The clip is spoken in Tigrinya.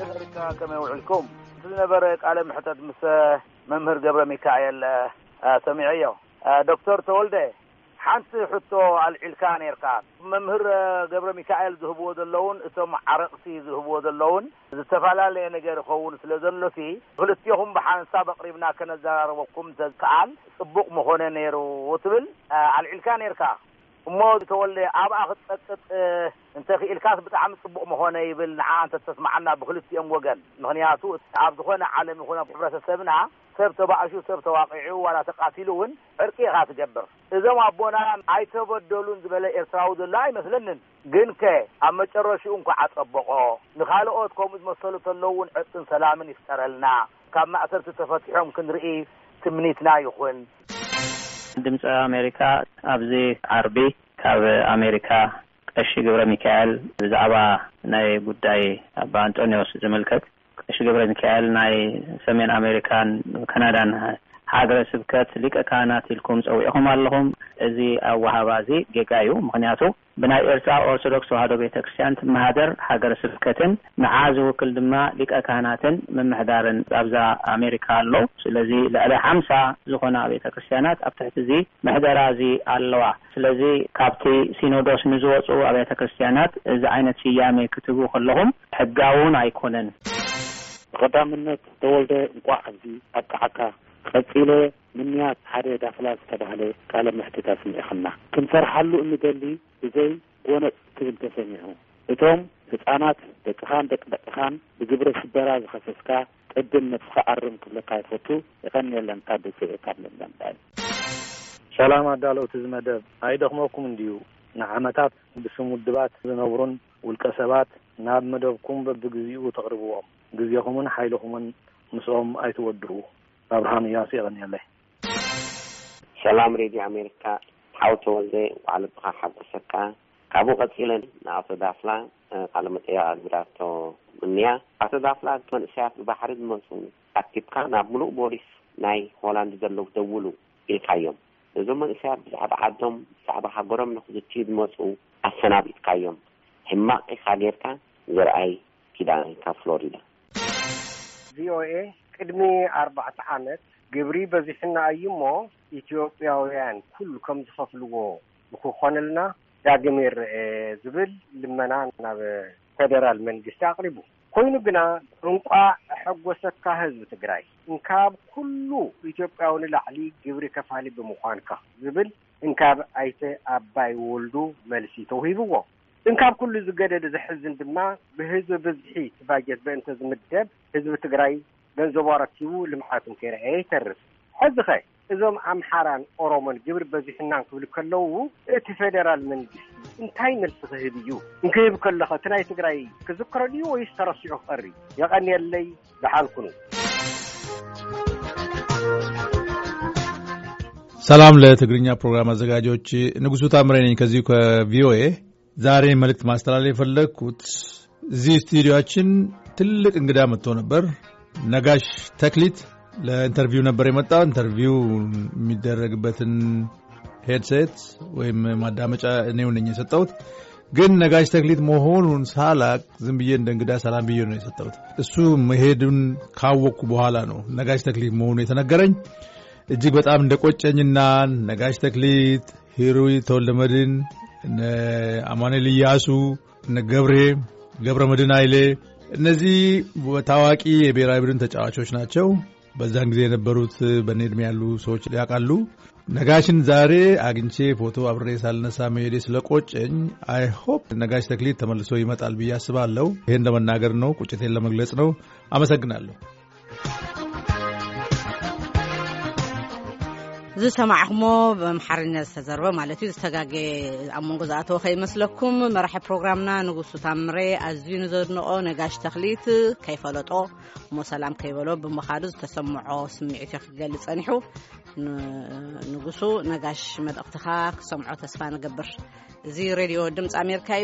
ኣሜሪካ ከመይ ውዕልኩም? እቲ ዝነበረ ቃለ ምሕተት ምስ መምህር ገብረ ሚካኤል ሰሚዐዮ። ዶክተር ተወልደ፣ ሓንቲ ሕቶ ኣልዒልካ ነርካ። መምህር ገብረ ሚካኤል ዝህብዎ ዘለውን እቶም ዓረቕቲ ዝህብዎ ዘለውን ዝተፈላለየ ነገር ይኸውን ስለ ዘሎሲ፣ ክልቲኹም ብሓንሳብ ኣቕሪብና ከነዘራርበኩም ተዝከኣል ጽቡቕ ምኾነ ነይሩ ትብል ኣልዒልካ ነርካ። እሞ ተወልደ፣ ኣብኣ ክትጸቅጥ እንተኽኢልካስ ብጣዕሚ ጽቡቕ ምኾነ ይብል፣ ንዓ እንተተስማዓና ብክልቲኦም ወገን። ምኽንያቱ ኣብ ዝኾነ ዓለም ይኹን ኣብ ሕብረተሰብና ሰብ ተባእሹ፣ ሰብ ተዋቒዑ፣ ዋላ ተቃቲሉ እውን ዕርቂ ኢኻ ትገብር። እዞም ኣቦና ኣይተበደሉን ዝበለ ኤርትራዊ ዘሎ ኣይመስለንን። ግንከ ኣብ መጨረሽኡ እንኳ ኣጸበቆ፣ ንኻልኦት ከምኡ ዝመሰሉ ተለዉ እውን ዕርቅን ሰላምን ይፍጠረልና፣ ካብ ማእሰርቲ ተፈቲሖም ክንርኢ ትምኒትና ይኹን። ድምፂ ኣሜሪካ ኣብዚ ዓርቢ ካብ ኣሜሪካ ቀሺ ገብረ ሚካኤል ብዛዕባ ናይ ጉዳይ ኣባ ኣንጦንዮስ ዝምልከት፣ ቀሺ ገብረ ሚካኤል ናይ ሰሜን ኣሜሪካን ካናዳን ሃገረ ስብከት ሊቀ ካህናት ኢልኩም ጸዊዕኹም ኣለኹም። እዚ ኣወሃባ እዚ ጌጋ እዩ። ምኽንያቱ ብናይ ኤርትራ ኦርቶዶክስ ተዋህዶ ቤተክርስትያን ትመሃደር ሃገረ ስብከትን ንዓ ዝውክል ድማ ሊቀ ካህናትን ምምሕዳርን ኣብዛ ኣሜሪካ ኣሎ። ስለዚ ልዕሊ ሓምሳ ዝኾና ቤተክርስትያናት ኣብ ትሕቲ እዚ ምሕደራ እዚ ኣለዋ። ስለዚ ካብቲ ሲኖዶስ ንዝወፁ ኣብያተ ክርስትያናት እዚ ዓይነት ስያሜ ክትህቡ ከለኹም ሕጋውን ኣይኮነን። ብቐዳምነት ተወልደ፣ እንቋዕ ኣብዚ ኣብቅዓካ። ቀጺለ፣ ምንያት ሓደ ዳፍላ ዝተባህለ ቃለ መሕትት ኣስሚዕኽና። ክንፈርሓሉ እንደሊ ብዘይ ጎነጽ ክብል ተሰሚዑ። እቶም ህጻናት ደቅኻን ደቂ ደቅኻን ብግብረ ሽበራ ዝኸሰስካ፣ ቅድም ነብስኻ ኣርም ክብለካ ይፈቱ። የቐንየለን። ካብ ደሴ ካብ ለንደን ዳይ። ሰላም ኣዳለውቲ እዚ መደብ፣ ኣይደኽመኩም እንድዩ? ንዓመታት ብስም ውድባት ዝነብሩን ውልቀ ሰባት ናብ መደብኩም በብግዚኡ ተቕርብዎም። ግዜኹምን ሓይልኹምን ምስኦም ኣይትወድኡ። ኣብርሃም እያሱ፣ የቐንየለይ። ሰላም ሬድዮ ኣሜሪካ፣ ሓው ተወልደ፣ እንኳዕ ልብኻ ሓጎሰካ። ካብኡ ቀጺለ ንኣቶ ዳፍላ፣ እ፣ ቃለ መጠይቕ ኣግቢራቶ እኒኣ። ኣቶ ዳፍላ፣ እቲ መንእሰያት ብባሕሪ ዝመጹ ኣኪብካ ናብ ምሉእ ቦሊስ ናይ ሆላንድ ዘለዉ ደውሉ ኢልካዮም። እዞም መንእሰያት ብዛዕባ ዓዶም፣ ብዛዕባ ሃገሮም ንኽዝትዩ ዝመጹ ኣሰናቢትካዮም። ሕማቕ ኢኻ ጌርካ። ዘርኣይ ኪዳነ ካብ ፍሎሪዳ። ቪኦኤ፣ ቅድሚ ኣርባዕተ ዓመት ግብሪ በዚሕና እዩ እሞ ኢትዮጵያውያን ኩሉ ከም ዝኸፍልዎ ንክኾነልና ዳግም ይረኤ ዝብል ልመና ናብ ፌደራል መንግስቲ ኣቕሪቡ። ኮይኑ ግና እንቋዕ ኣሐጎሰካ ህዝቢ ትግራይ፣ እንካብ ኩሉ ኢትዮጵያዊ ንላዕሊ ግብሪ ከፋሊ ብምዃንካ ዝብል እንካብ ኣይተ ኣባይ ወልዱ መልሲ ተውሂብዎ። እንካብ ኩሉ ዝገደደ ዘሕዝን ድማ ብህዝቢ ብዝሒ እቲ ባጀት በእንተ ዝምደብ ህዝቢ ትግራይ ገንዘቡ ኣረኪቡ ልምዓቱ እንከይረኣየ ይተርፍ። ሕዚኸ እዞም ኣምሓራን ኦሮሞን ግብሪ በዚሑናን ክብሉ ከለዉ እቲ ፌደራል መንግስቲ እንታይ መልሲ ክህብ እዩ? እንክህብ ከለኸ እቲ ናይ ትግራይ ክዝክሮ ድዩ ወይስ ተረሲዑ ክቐሪ? የቐንየለይ፣ ደሓን ኩኑ። ሰላም ለትግርኛ ፕሮግራም አዘጋጆች፣ ንጉሱ ታምሬ ነኝ ከዚሁ ከቪኦኤ። ዛሬ መልእክት ማስተላለፍ የፈለግኩት፣ እዚህ ስቱዲዮአችን ትልቅ እንግዳ መጥቶ ነበር። ነጋሽ ተክሊት ለኢንተርቪው ነበር የመጣው። ኢንተርቪው የሚደረግበትን ሄድሴት ወይም ማዳመጫ እኔው ነኝ የሰጠሁት። ግን ነጋሽ ተክሊት መሆኑን ሳላቅ ዝም ብዬ እንደ እንግዳ ሰላም ብዬ ነው የሰጠሁት። እሱ መሄዱን ካወቅኩ በኋላ ነው ነጋሽ ተክሊት መሆኑ የተነገረኝ። እጅግ በጣም እንደቆጨኝና ነጋሽ ተክሊት፣ ሂሩይ ተወልደመድህን፣ እነ አማኑኤል እያሱ፣ እነ ገብሬ፣ ገብረ መድህን ኃይሌ፣ እነዚህ ታዋቂ የብሔራዊ ቡድን ተጫዋቾች ናቸው። በዛን ጊዜ የነበሩት፣ በእኔ እድሜ ያሉ ሰዎች ያውቃሉ። ነጋሽን ዛሬ አግኝቼ ፎቶ አብሬ ሳልነሳ መሄዴ ስለቆጨኝ፣ I hope ነጋሽ ተክሊት ተመልሶ ይመጣል ብዬ አስባለሁ። ይሄን ለመናገር ነው፣ ቁጭቴን ለመግለጽ ነው። አመሰግናለሁ። ዝሰማዕኹሞ ብኣምሓርኛ ዝተዘርበ ማለት እዩ። ዝተጋገ ኣብ መንጎ ዝኣተወ ከይመስለኩም። መራሒ ፕሮግራምና ንጉሱ ታምሬ ኣዝዩ ንዘድንቖ ነጋሽ ተኽሊት ከይፈለጦ እሞ ሰላም ከይበሎ ብምኻዱ ዝተሰምዖ ስምዒት እዩ ክገልጽ ጸኒሑ። ን-፣ ንጉሱ ነጋሽ መልእኽትኻ ክሰምዖ ተስፋ ንገብር። እዚ ሬድዮ ድምፂ ኣሜሪካ